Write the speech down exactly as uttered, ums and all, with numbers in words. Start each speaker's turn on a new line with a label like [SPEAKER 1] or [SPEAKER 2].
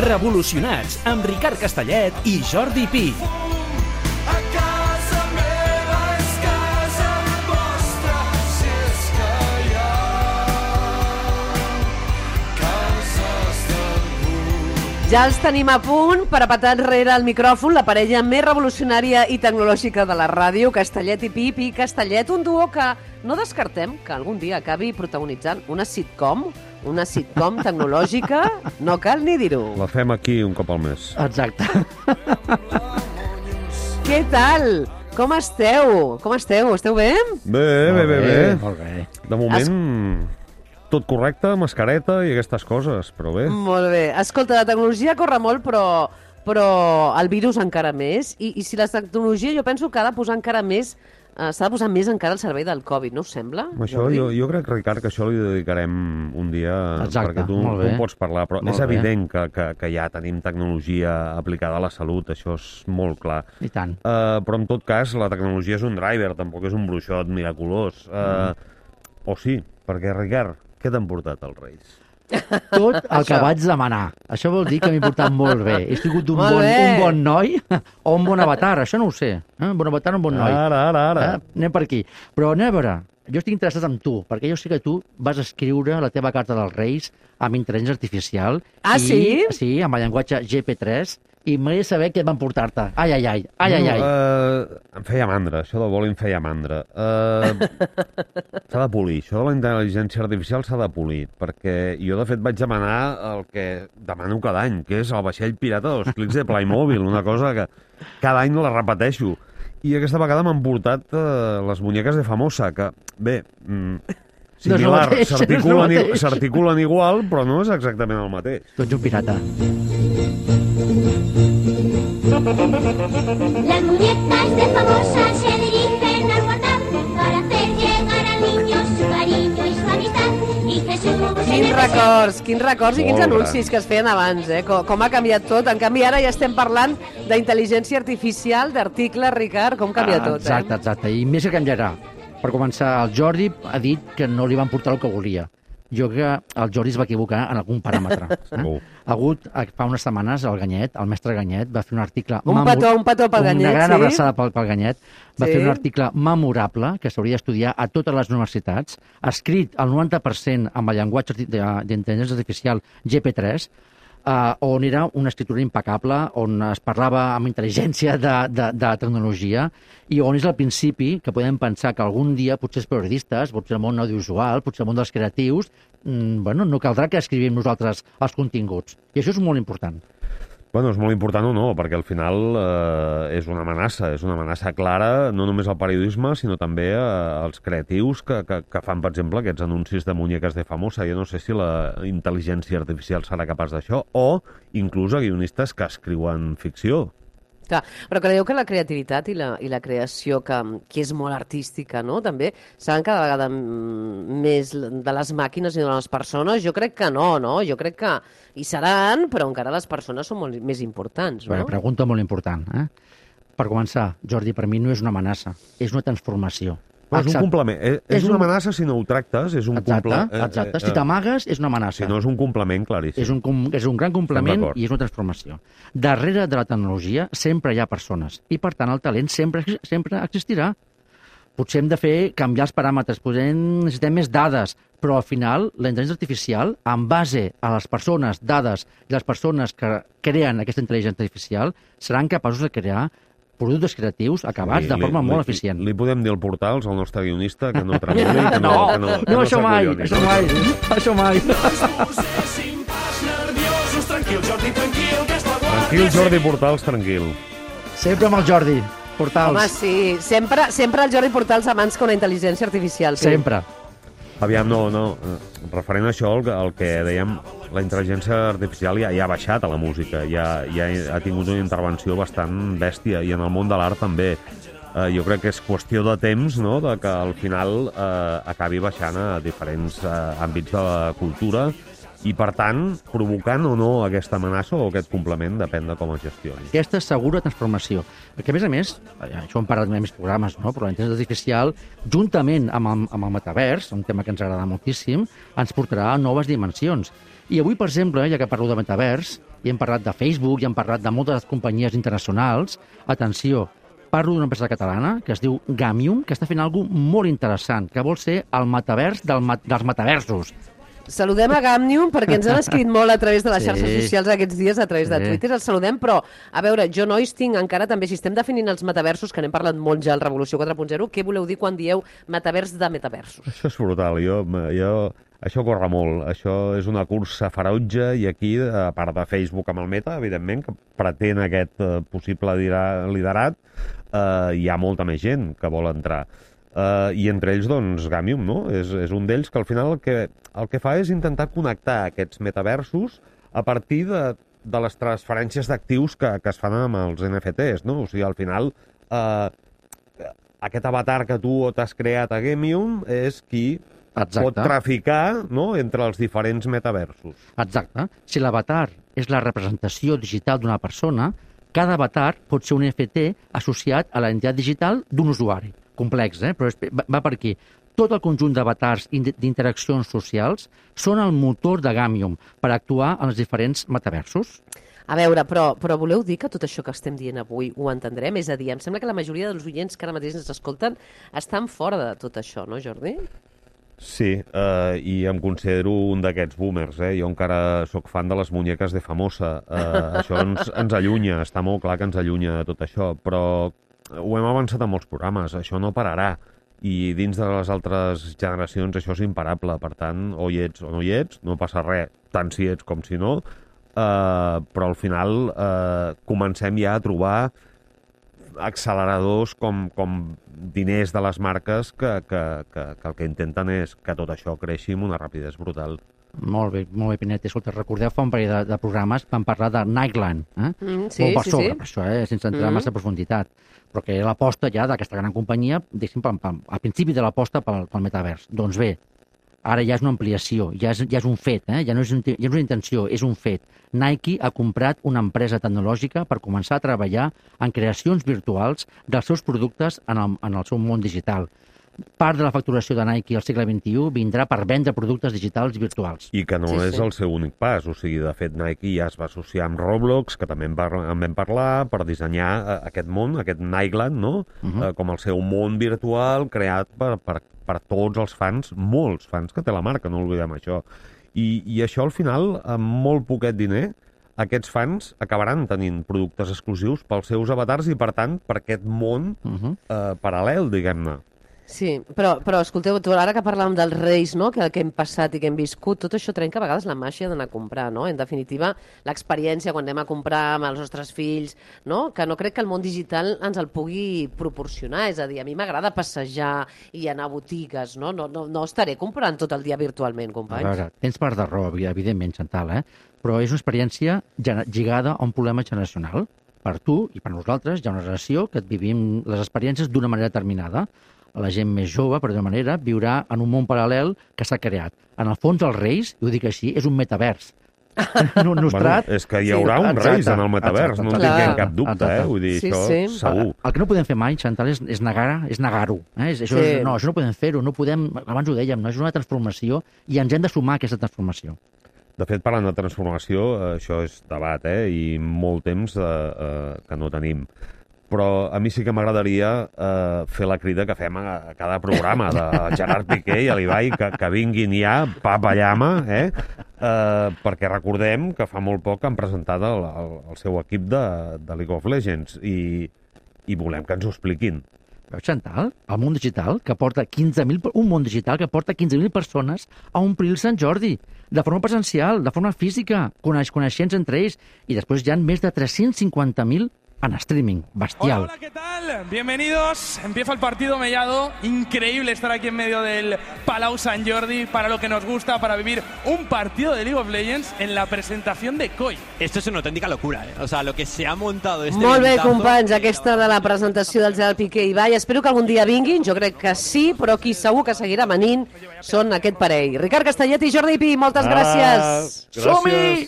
[SPEAKER 1] Revolucionats, amb Ricard Castellet i Jordi Pi.
[SPEAKER 2] A casa meva és casa vostra, si és que hi ha cases d'algú.
[SPEAKER 3] Ja els tenim a punt per apatar enrere el micròfon la parella més revolucionària i tecnològica de la ràdio, Castellet i Pi. Pi Castellet, un duo que no descartem que algun dia acabi protagonitzant una sitcom, una sitcom tecnològica, no cal ni dir-ho.
[SPEAKER 4] La fem aquí un cop al mes.
[SPEAKER 5] Exacte.
[SPEAKER 3] Què tal? Com esteu? Com esteu? Esteu bé?
[SPEAKER 4] Bé, bé, bé, bé.
[SPEAKER 5] Molt bé.
[SPEAKER 4] De moment, tot correcte, mascareta i aquestes coses, però bé.
[SPEAKER 3] Molt bé. Escolta, la tecnologia corre molt, però, però el virus encara més. I, I si la tecnologia jo penso que ha de posar encara més Uh, s'ha de posar més encara al servei del Covid, no us sembla?
[SPEAKER 4] Això, jo, jo crec, Ricard, que això li dedicarem un dia,
[SPEAKER 5] Exacte,
[SPEAKER 4] perquè tu,
[SPEAKER 5] molt
[SPEAKER 4] tu
[SPEAKER 5] bé.
[SPEAKER 4] en pots parlar, però
[SPEAKER 5] Molt
[SPEAKER 4] és
[SPEAKER 5] bé.
[SPEAKER 4] evident que, que, que ja tenim tecnologia aplicada a la salut, això és molt clar.
[SPEAKER 5] I tant.
[SPEAKER 4] Uh, però en tot cas, la tecnologia és un driver, tampoc és un bruixot miraculós. Uh, mm. O sí, perquè, Ricard, què t'han portat els Reis?
[SPEAKER 5] Tot el que vaig demanar. Això vol dir que m'he portat molt bé. He sigut un
[SPEAKER 3] Molt
[SPEAKER 5] bon,
[SPEAKER 3] bé.
[SPEAKER 5] un bon noi o un bon avatar, això no ho sé. Eh? Un bon avatar o un bon noi.
[SPEAKER 4] Ara, ara, ara.
[SPEAKER 5] Eh? Anem per aquí. Però anem a veure, jo estic interessat en tu, perquè jo sé que tu vas escriure la teva carta dels Reis amb intel·ligència artificial.
[SPEAKER 3] Ah,
[SPEAKER 5] i,
[SPEAKER 3] sí?
[SPEAKER 5] Sí, amb el llenguatge G P tres, i m'agradaria saber què van portar-te. Ai, ai, ai, ai, ai, ai.
[SPEAKER 4] Uh, em feia mandra, això de vol em feia mandra. Uh, s'ha de polir, això de la intel·ligència artificial s'ha de polir, perquè jo, de fet, vaig demanar el que demano cada any, que és el vaixell pirata dels clics de Playmobil, una cosa que cada any la repeteixo. I aquesta vegada m'han portat uh, les muñeques de Famosa, que, bé... Mm, similar,
[SPEAKER 5] No és el mateix, no és el
[SPEAKER 4] s'articulen i-
[SPEAKER 5] mateix.
[SPEAKER 4] s'articulen igual, però no és exactament el mateix.
[SPEAKER 5] Tu ets un pirata.
[SPEAKER 6] Las muñecas de Famosa se dirigen al WhatsApp para hacer llegar al niño su cariño y su amistad. Y Jesús en
[SPEAKER 3] Quins
[SPEAKER 6] el desierto.
[SPEAKER 3] records, quins records i quins
[SPEAKER 4] Molt
[SPEAKER 3] anuncis que es feien abans, eh? Com, com ha canviat tot. En canvi, ara ja estem parlant d'intel·ligència artificial, d'articles, Ricard, com canvia
[SPEAKER 5] Ah,
[SPEAKER 3] tot,
[SPEAKER 5] Exacte,
[SPEAKER 3] eh?
[SPEAKER 5] exacte. I més que canviarà. Per començar, el Jordi ha dit que no li van portar el que volia. Jo crec que el Jordi es va equivocar en algun paràmetre. Eh?
[SPEAKER 4] Segur.
[SPEAKER 5] Ha hagut, eh, fa unes setmanes, el Ganyet, el mestre Ganyet, va fer un article...
[SPEAKER 3] Un
[SPEAKER 5] memor-
[SPEAKER 3] petó, un petó pel Ganyet,
[SPEAKER 5] Una gran
[SPEAKER 3] sí.
[SPEAKER 5] abraçada pel, pel Ganyet. Va
[SPEAKER 3] Sí.
[SPEAKER 5] fer un article memorable que s'hauria d'estudiar a totes les universitats, escrit al noranta per cent amb el llenguatge arti- de- d'intel·ligència artificial G P tres, Uh, on era una escriptura impecable, on es parlava amb intel·ligència de, de, de tecnologia i on és el principi que podem pensar que algun dia, potser els periodistes, potser el món audiovisual, potser el món dels creatius, mm, bueno, no caldrà que escrivim nosaltres els continguts. I això és molt important.
[SPEAKER 4] Bueno, és molt important o no, perquè al final eh, és una amenaça, és una amenaça clara, no només al periodisme, sinó també eh, als creatius que, que, que fan, per exemple, aquests anuncis de muñeques de Famosa. Jo no sé si la intel·ligència artificial serà capaç d'això, o inclús a guionistes que escriuen ficció.
[SPEAKER 3] Clar, però creieu que la creativitat i la, i la creació, que, que és molt artística, no?, també, seran cada vegada mm, més de les màquines i de les persones? Jo crec que no, no? Jo crec que hi seran, però encara les persones són molt més importants, no?
[SPEAKER 5] Bueno, pregunta molt important. Eh? Per començar, Jordi, per mi no és una amenaça, és una transformació.
[SPEAKER 4] Però és un
[SPEAKER 5] Exacte.
[SPEAKER 4] complement. És, és
[SPEAKER 5] És
[SPEAKER 4] una
[SPEAKER 5] un-
[SPEAKER 4] amenaça si no ho tractes, és un
[SPEAKER 5] Exacte,
[SPEAKER 4] complement.
[SPEAKER 5] exacte. Si t'amagues, és una amenaça.
[SPEAKER 4] Si no, és un complement claríssim.
[SPEAKER 5] És un, com- és un gran complement
[SPEAKER 4] d'acord.
[SPEAKER 5] i és una transformació. Darrere de la tecnologia sempre hi ha persones i, per tant, el talent sempre, sempre existirà. Potser hem de fer canviar els paràmetres, potser necessitem més dades, però al final la intel·ligència artificial, en base a les persones, dades i les persones que creen aquesta intel·ligència artificial, seran capaços de crear productes creatius acabats de forma molt eficient.
[SPEAKER 4] Li, li podem dir al Portals, al nostre guionista, que no tremoli, que no,
[SPEAKER 5] No,
[SPEAKER 4] que no, que
[SPEAKER 5] no, això mai,
[SPEAKER 4] s'acolloni.
[SPEAKER 5] això mai, això mai.
[SPEAKER 2] Poséssim pas nerviosos, tranquil, Jordi, tranquil, que és la guàrdia.
[SPEAKER 4] Tranquil, Jordi Portals, tranquil.
[SPEAKER 5] Sempre amb el Jordi, Portals.
[SPEAKER 3] Home, sí, sempre, sempre el Jordi Portals abans que una intel·ligència artificial. Sí.
[SPEAKER 5] Sempre.
[SPEAKER 4] Aviam, no, no. eh, Referent a això, el, que- el que dèiem, la intel·ligència artificial ja, ja ha baixat a la música, ja, ja ha tingut una intervenció bastant bèstia, i en el món de l'art també. Eh, jo crec que és qüestió de temps, no?, de que al final eh, acabi baixant a diferents eh, àmbits de la cultura I, per tant, provocant o no aquesta amenaça o aquest complement, depèn de com es gestioni.
[SPEAKER 5] Aquesta segura transformació. Perquè, a més a més, això hem parlat en més programes, no? Però la intel·ligència artificial, juntament amb el, amb el metavers, un tema que ens agrada moltíssim, ens portarà a noves dimensions. I avui, per exemple, ja que parlo de metavers, i hem parlat de Facebook, i hem parlat de moltes companyies internacionals, atenció, parlo d'una empresa catalana que es diu Gamium, que està fent alguna cosa molt interessant, que vol ser el metavers del mat dels metaversos.
[SPEAKER 3] Saludem a Gamium perquè ens han escrit molt a través de les
[SPEAKER 5] Sí.
[SPEAKER 3] xarxes socials aquests dies, a través de
[SPEAKER 5] Sí.
[SPEAKER 3] Twitter, els saludem, però, a veure, jo, nois, tinc encara també, si estem definint els metaversos, que n'hem parlat molt ja al Revolució quatre punt zero, què voleu dir quan dieu metavers de metaversos?
[SPEAKER 4] Això és brutal. Jo, jo, això corre molt. Això és una cursa ferotge i aquí, a part de Facebook amb el Meta, evidentment, que pretén aquest eh, possible liderat, eh, hi ha molta més gent que vol entrar. Uh, I entre ells, doncs, Gamium, no? És, és un d'ells que al final el que, el que fa és intentar connectar aquests metaversos a partir de, de les transferències d'actius que, que es fan amb els N F Ts, no? O sigui, al final, uh, aquest avatar que tu t'has creat a Gamium és qui
[SPEAKER 5] Exacte.
[SPEAKER 4] pot traficar, no?, entre els diferents metaversos.
[SPEAKER 5] Exacte. Si l'avatar és la representació digital d'una persona, cada avatar pot ser un N F T associat a la identitat digital d'un usuari. Complex, eh? Però és, va, va per aquí. Tot el conjunt d'avatars i d'interaccions socials són el motor de Gamium per actuar en els diferents metaversos.
[SPEAKER 3] A veure, però, però voleu dir que tot això que estem dient avui ho entendrem? És a dir, em sembla que la majoria dels oients que ara mateix ens escolten estan fora de tot això, no, Jordi?
[SPEAKER 4] Sí, eh, i em considero un d'aquests boomers, eh? Jo encara sóc fan de les muñeques de Famosa. Eh, això ens, ens allunya, està molt clar que ens allunya de tot això, però ho hem avançat en molts programes, això no pararà. I dins de les altres generacions això és imparable. Per tant, o hi ets o no hi ets, no passa res, tant si ets com si no, eh, però al final eh, comencem ja a trobar acceleradors com, com diners de les marques que, que, que, que el que intenten és que tot això creixi amb una rapidesa brutal.
[SPEAKER 5] Molt bé, molt bé, Pinet. Escolta, recordeu fa un parell de, de programes vam parlar de Nightline, eh?
[SPEAKER 3] Mm, sí,
[SPEAKER 5] molt per
[SPEAKER 3] sí,
[SPEAKER 5] sobre,
[SPEAKER 3] sí.
[SPEAKER 5] per això, eh? Sense entrar
[SPEAKER 3] Mm.
[SPEAKER 5] mm. massa profunditat. Però que era l'aposta ja d'aquesta gran companyia, diguéssim, pam, pam, al principi de l'aposta pel, pel metavers. Doncs bé, ara ja és una ampliació, ja és, ja és un fet, eh? ja, no és, un, ja no és una intenció, és un fet. Nike ha comprat una empresa tecnològica per començar a treballar en creacions virtuals dels seus productes en el, en el seu món digital. Part de la facturació de Nike al segle vint-i-u vindrà per vendre productes digitals virtuals.
[SPEAKER 4] I que no
[SPEAKER 3] Sí,
[SPEAKER 4] és
[SPEAKER 3] sí.
[SPEAKER 4] el seu únic pas. O sigui, de fet, Nike ja es va associar amb Roblox, que també en, par en vam parlar, per dissenyar eh, aquest món, aquest Nightland, no?
[SPEAKER 5] Uh -huh.
[SPEAKER 4] eh, com el seu món virtual creat per, per, per tots els fans, molts fans que té la marca, no oblidem això. I, i això, al final, amb molt poquet diner, aquests fans acabaran tenint productes exclusius pels seus avatars i, per tant, per aquest món
[SPEAKER 5] Uh -huh.
[SPEAKER 4] eh, paral·lel, diguem-ne.
[SPEAKER 3] Sí, però, però escolteu, tu, ara que parlàvem dels reis, no?, que, que hem passat i que hem viscut, tot això trenca a vegades la màgia d'anar a comprar, no? En definitiva, l'experiència quan anem a comprar amb els nostres fills, no?, que no crec que el món digital ens el pugui proporcionar. És a dir, a mi m'agrada passejar i anar a botigues, no? No, no, no estaré comprant tot el dia virtualment,
[SPEAKER 5] A
[SPEAKER 3] companys.
[SPEAKER 5] veure, tens part de raó, evidentment, Chantal, eh? Però és una experiència gene- lligada a un problema generacional. Per tu i per nosaltres hi ha una generació que vivim les experiències d'una manera determinada. La gent més jove, per d'una manera, viurà en un món paral·lel que s'ha creat. En el fons, els reis, i ho dic així, és un metavers. No, nostrat...
[SPEAKER 4] Bueno, és que hi haurà
[SPEAKER 5] Sí,
[SPEAKER 4] uns
[SPEAKER 5] exacte,
[SPEAKER 4] reis en el metavers,
[SPEAKER 5] exacte,
[SPEAKER 4] no en
[SPEAKER 3] clar.
[SPEAKER 4] tinguem cap dubte,
[SPEAKER 5] Exacte.
[SPEAKER 4] eh? Vull dir,
[SPEAKER 3] Sí,
[SPEAKER 4] això
[SPEAKER 3] sí.
[SPEAKER 4] segur.
[SPEAKER 5] El que no podem fer mai, Chantal, és, és negar és negar-ho. Eh? És, això
[SPEAKER 3] Sí.
[SPEAKER 5] és, no, això no podem fer-ho, no podem... Abans ho dèiem, no? És una transformació i ens hem de sumar a aquesta transformació.
[SPEAKER 4] De fet, parlant de transformació, eh, això és debat, eh? I molt temps eh, eh, que no tenim. Però a mi sí que m'agradaria eh, fer la crida que fem a, a cada programa de Gerard Piqué i a l'Ibai, que, que vinguin ja, papa llama, eh? eh? Perquè recordem que fa molt poc han presentat el, el, el seu equip de, de League of Legends i, i volem que ens ho expliquin.
[SPEAKER 5] Veus, Chantal? El món digital, que porta quinze mil... Un món digital que porta quinze mil persones a omplir el Sant Jordi, de forma presencial, de forma física, coneix, coneixents entre ells, i després hi ha més de tres-cents cinquanta mil en streaming, bestial.
[SPEAKER 7] Hola, hola, ¿qué tal? Bienvenidos. Empieza el partido mellado. Increíble estar aquí en medio del Palau Sant Jordi para lo que nos gusta, para vivir un partido de League of Legends en la presentación de Koi.
[SPEAKER 8] Esto es una auténtica locura, ¿eh? O sea, lo que se ha montado este
[SPEAKER 3] Molt bé,
[SPEAKER 8] eventazo-
[SPEAKER 3] companys, aquesta de la presentació del Gerard Piqué i Ibai. Espero que algun dia vinguin, jo crec que sí, però qui segur que seguirà venint són aquest parell. Ricard Castellet i Jordi Pi, moltes gràcies.
[SPEAKER 4] Gràcies.